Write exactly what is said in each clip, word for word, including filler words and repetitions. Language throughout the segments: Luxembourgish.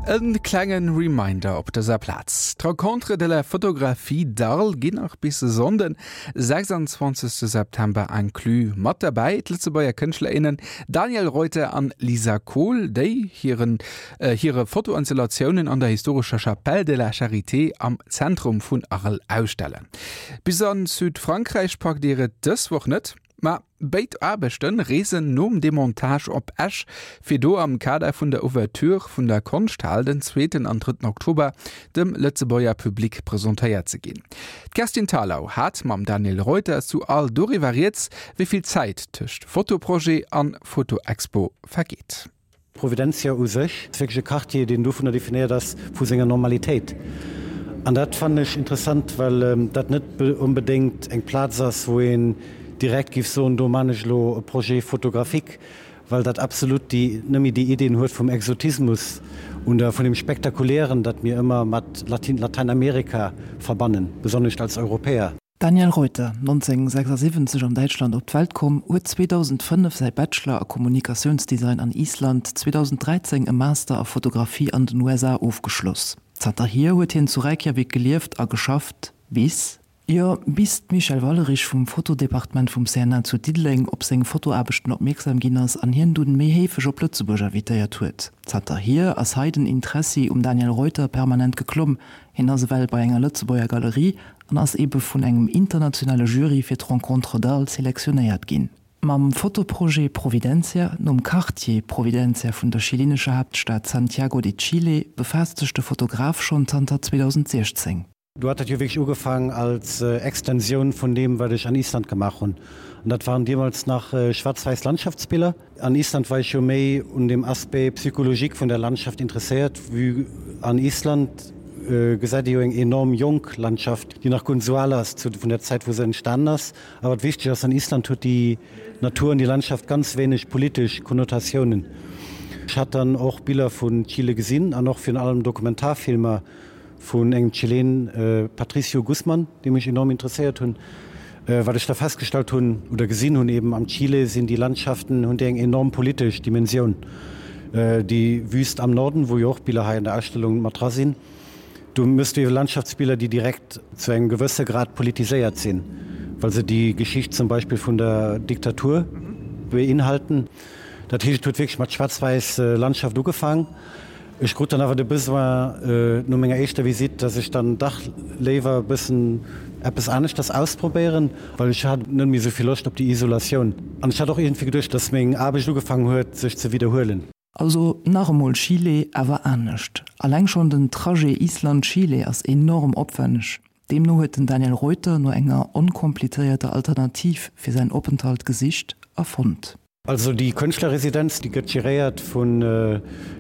E klengen Reminder op dëser Plaz. D'Rencontres de la Photographie d'Arles ginn nach bis e Sonnden, sechsundzwanzegste September inclus. Mat derbäi d'Lëtzebuerger Kënschtler, innen Daniel Reuter an Lisa Kohl, déi hiren, äh, hire Fotoinstallatiounen an der historescher Chapelle de la Charité am Zentrum vun Arles ausstellen. Bis an Südfrankräich packt Dir et dës Woch net, ma béid Aarbechten reesen nom Demontage op Esch, fir do am Kader vun der Ouverture vun der Konschthal den zweeten an drëtten Oktober dem Lëtzebuerger Public presentéiert ze ginn. D'Kerstin Thalau hat mam Daniel Reuter zu Arles doriwwer rieds, wéi vill Zäit tëscht Fotoprojet an Fotoexpo vergeet. Providencia u sech ass wierklech e Quartier, deen dovunner definéiert ass vu senger Normalitéit. An dat fannen ech interessant, well dat net onbedéngt eng Plaz ass, wou een direkt géif soen, do man ech elo e Projet photographique, well dat absolut déi nëmme déi Ideen huet vum Exotismus und vun dem Spektakulären, dat mir ëmmer mat Latin Lateinamerika verbannen, besonnesch als Europäer. Daniel Reuter, nonzénghunnertsechsasiwwenzeg an Däitschland op d'Welt komm, huet zweedausendfënnef säi Bachelor a Kommunikatiounsdesign an Island, zweedausendräizéng e Master a Fotografie an den U S A ofgeschloss. Zanterhier huet hien zu Reykjavik gelieft a geschafft, bis, jo, bis d'Michèle Wallerich vum Fotodepartement vum C N A zu Diddeleng op seng Fotoaarbechten opmierksam ginn ass an hien dunn méi heefeg op Lëtzebuerg invitéiert huet. Zanterhier ass hei den Interessi um Daniel Reuter permanent geklomm, hien ass ewell bei enger Lëtzebuerger Galerie an ass ebe vun engem internationale Jury fir d'Rencontres d'Arles selektionéiert ginn. Mam Fotoprojet Providencia, nom Quartier Providencia vun der chilinescher Haaptstad Santiago de Chile, befaasst sech de Fotograf schonn zanter zweedausendsiechzéng. Do hat dat jo wierklech ugefaangen als Extensioun vun deem, wat ech an Island gemaach hunn. An dat waren deemools nach schwaarz-wäiss Landschaftsbiller. An Island war ech jo méi un dem Aspect psychologique vun der Landschaft interesséiert, vue an Island gesäit ee jo eng enorm jonk Landschaft, déi nach guer net esou al ass zu vun der Zäit, wou se entstanen ass. A wat wichteg ass, an Island huet déi Natur an déi Landschaft ganz wéineg politesch Konnotatiounen. Ech hat dann och Biller vun Chile gesinn an och virun allem Dokumentarfilmer vun engem Chilen, Patricio Guzman, déi mech enorm interesséiert hunn. Wat ech da festgestallt hunn oder gesinn hunn, eben am Chile sinn déi Landschaften, hunn déi eng enorm politesch Dimensioun. Déi Wüst am Norden, wou jo och Biller hei an der Ausstellung mat dra sinn, do méchs du ebe Landschaftsbiller, déi direkt zu engem gewësse Grad politiséiert sinn, well se déi Geschicht zum Beispill vun der Diktatur beinhalten. Dat heescht, et huet wierklech mat schwaarz-wäiss Landschaft ugefaang. Ech krut dann awer de Besoin no menger éischter Visitt, dass ech dann dach léiwer e bëssen eppes aneschters ausprobéieren, well ech hat net méi esou vill Loscht op déi Isolatioun. An ech hat och iergendwéi geduecht, dass meng Aarbecht ugefaangen huet, sech ze widderhuelen. Also nach emol Chile, awer anescht. Alleng schonn den Trajet Island-Chile ass enorm opwenneg. Deemno huet den Daniel Reuter no enger onkomplizéierter Alternativ fir säin Openthalt gesicht a fonnt. Also déi Kënschtlerresidenz, déi gëtt geréiert vun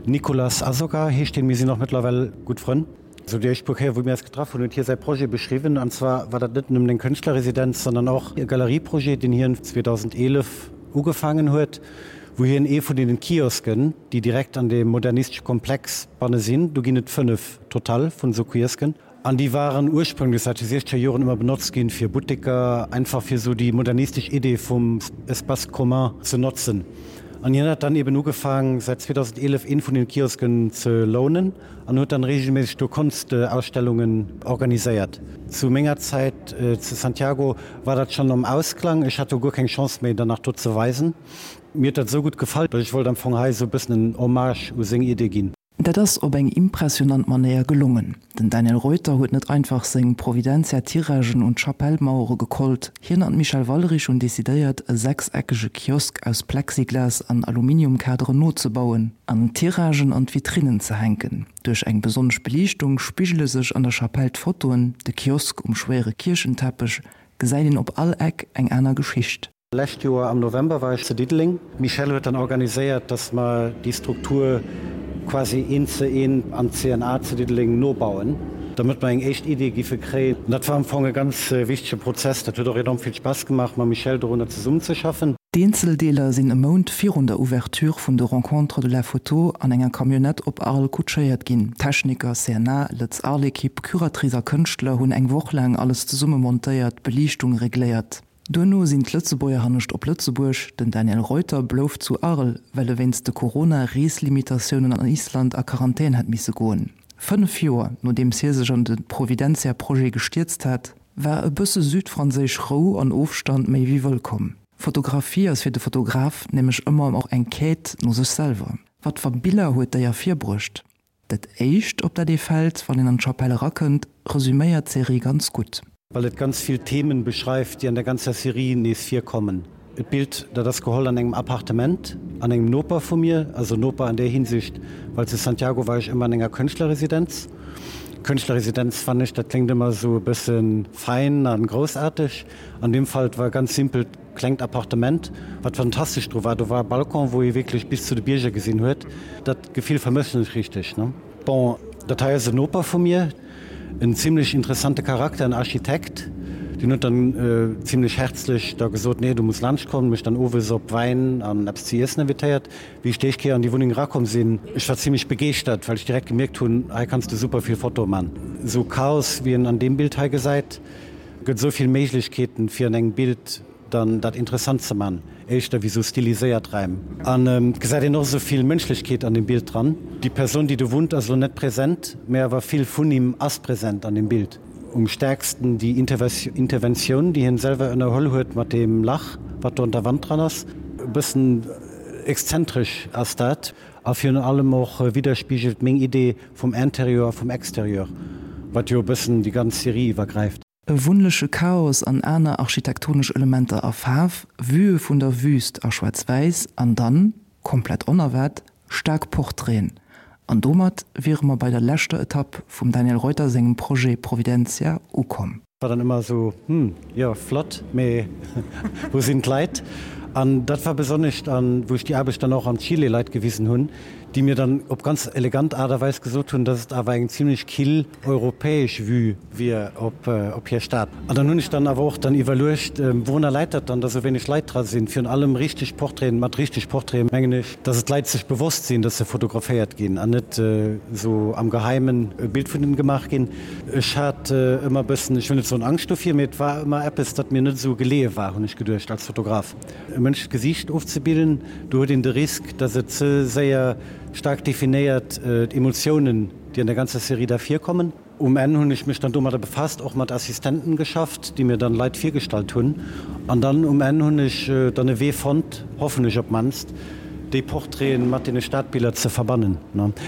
Nicolas Azoga, heescht deen. Mir sinn och mëttlerweil gutt Frënn. Esou déi éischt puer Kéier wou mir eis getraff hunn, huet hie säi Projet beschriwwen. An zwar war dat net nëmmen eng Kënschtlerresidenz, sondern och e Galerieprojet, deen hien zweedausendeelef ugefaangen huet, wou hien ee vun deenen Kiosken, déi direkt an deem modernistesche Komplex banne sinn, do ginn et fënnef total vun esou Kiosken, An déi waren ursprünglech säit de siechzeger Joren ëmmer benotzt ginn fir Butteker, einfach fir esou déi modernistesch Idee vum Espace commun ze notzen. An hien hat dann eben ugefaang säit zweedausendeelef een vun den Kiosken ze lounen an huet dann regelméisseg do Konstausstellungen organiséiert. Zu menger Zäit zu Santiago war dat schonn am Ausklang, ech hat do guer keng Chance méi dann nach do ze weisen. Mir huet dat esou gutt gefall, datt ech wollt am Fong hei esou e bëssen en Hommage u seng Idee ginn. Dat ass op eng impressionant Manéier gelongen. Den Daniel Reuter huet net einfach seng Providencia-Tiragen un d'Chapelle-Mauere gekollt. Hien an d'Michèle Wallerich hunn decidéiert, e sechseckege Kiosk aus Plexiglas an Aluminiumkaderen nozebauen an d'Tiragen an d'Vitrinnen ze hänken. Duerch eng besonnesch Beliichtung spigele sech an der Chapelle d'Fotoen, de Kiosk um schwéiere Kierchenteppech, gesäit een op all Eck eng aner Geschicht. Lescht Joer am November war ech zu Diddeleng. D'Michèle huet dann organiséiert, dass mer déi Struktur quasi eent zu eent am C N A zu Diddeleng nobauen, damit mer eng éischt Idee giffe kréien. An dat war am Fong e ganz wichtege Prozess. Dat huet och enorm vill Spaass gemaach, mam Michèle dorunner zesummenzeschaffen. D'Eenzeldeeler sinn e Mount virun der Ouverture vun de Rencontres de la Photo an enger Camionnette op Arles kutschéiert ginn. Techniker, C N A, Lëtz Arles-Ekipp, Curatrice a Kënschtler hunn eng Woch laang alles zesumme montéiert, d'Beliichtung regléiert. Duerno sinn d'Lëtzebuerger hannescht op Lëtzebuerg, den Daniel Reuter blouf zu Arles, well e wéinst de Corona-Reeslimitatiounen an Island a Quarantän hat misse goen. Fënnef Joer nodeems hie sech an de Providencia-Projet gestierzt hat, war e bësse südfranséisch Rou an Ofstand méi wéi wëllkomm. Fotografie ass fir de Fotograf nämlech ëmmer och eng Quête no sech selwer. Wat fir Biller huet déi ervirbruecht? Dat éischt, op dat ee fält, wann een an d'Chapelle erakënnt, resüméiert d'Serie ganz gutt. Well et ganz vill Themen beschreift, déi an der ganzer Serie nees virkommen. D'Bild, dat ass geholl an engem Appartement, an engem Noper vu mir, also Noper an där Hinsicht, well zu Santiago war ech ëmmer an enger Kënschtlerresidenz. Kënschtlerresidenz fannen ech, dat kléngt ëmmer esou e bësse fein a groussaarteg. An deem Fall, et war e ganz simpelt klengt Appartement. Wat fantastesch dru war, do war e Balcon, wou ee wierklech bis zu de Bierger gesinn huet. Dat Gefill vermëssen ech richteg, ne? Bon, dat hei ass en Noper vu mir. En zimlech interessante Charakter, en Architekt, deen huet dann zimlech herzlech da gesot, nee, du muss laanscht kommen, mech dann owes op Wäin an eppes ze iessen invitéiert. Wéi ech d'éischt Kéier an déi Wunneng erakomm sinn, ech war zimlech begeeschtert, well ech direkt gemierkt hunn, hei kanns de super vill Fotoe man. Esou Chaos, wéi een an deem Bild hei gesäit, gëtt esou vill Méiglechkeeten, fir an engem Bild dann dat interessant ze man, éischter wéi sou stiliséiert Räim. An et gesäit een och esou vill Mënschlechkeet an dem Bild dran. Déi Persoun, déi do wunnt, ass elo net present, mä awer vill vun him ass present an dem Bild. Um stäerksten déi Interventioun, déi hien selwer ënnerholl huet mat deem Lach, wat do an der Wand dran ass. E bëssen exzentresch ass dat a virun allem och widderspigelt meng Idee vum Interieur a vum Exterieur, wat jo e bëssen déi ganz Serie iwwergräift. E wunnleche Chaos an aner architektonesch Elementer a Faarf, Vuë vun der Wüüst a Schwaarz-Wäiss an dann, komplett onerwaart, staark Portraiten. An domat wiere mer bei der leschter Etapp vum Daniel Reuter sengem Projet Providencia ukomm. War dann ëmmer esou, hm, jo, flott, mee wou sinn d'Leit? An dat war besonnesch an, wou ech déi Aarbecht dann och an Chile Leit gewisen hunn, déi mir dann op ganz elegant Aart a Weis gesot hunn, dass et awer eng zimlech kill europäesch Vue wier op op hir Stad. An dann hunn ech dann awer och dann iwwerluecht, wourunner läit dat dann, dass esou wéineg Leit dra sinn? Virun allem richteg Portraiten, mat richteg Portraiten mengen ech, dass et d'Leit sech bewosst sinn, dass se fotograféiert ginn an net esou am Geheimen e Bild vun hinnen gemaach ginn. Ech hat ëmmer e bëssen, ech wëll net soen Angscht dovir, mee et war ëmmer eppes, dat mir net esou geleeë war, hunn ech geduecht als Fotograf. E mënschlecht Gesiicht ofzebilden, do huet een de Risk, dass et ze séier staark definéiert, d'Emotiounen, déi an der ganzer Serie da virkommen. Um Enn hunn ech mech dann domadder befasst, och mat Assistenten geschafft, déi mir dann Leit virgestallt hunn. An dann um Enn hunn ech dann e Wee fonnt, hoffen ech op d'mannst, déi Portraiten mat deene Stadbiller ze verbannen.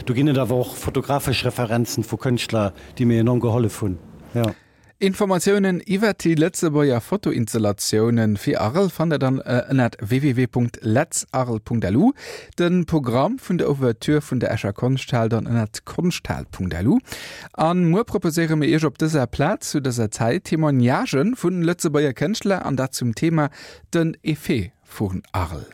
Do ginn et awer och fotografesch Referenzen vu Kënschtler, déi mir enorm gehollef hunn. Jo. Informatiounen iwwert déi Lëtzebuerger Fotoinstallatiounen fir Arel fannt der dann ënnert www.letzarel.lu, de Programm vun der Ouverture vun der Escher Konschthal dann ënnert konschthal.lu. An muer proposéiere mir Iech op dëser Plaz zu dëser Zäit Témoignagen vun Lëtzebuerger Kënschtler an dat zum Thema Den Effet vun Arel.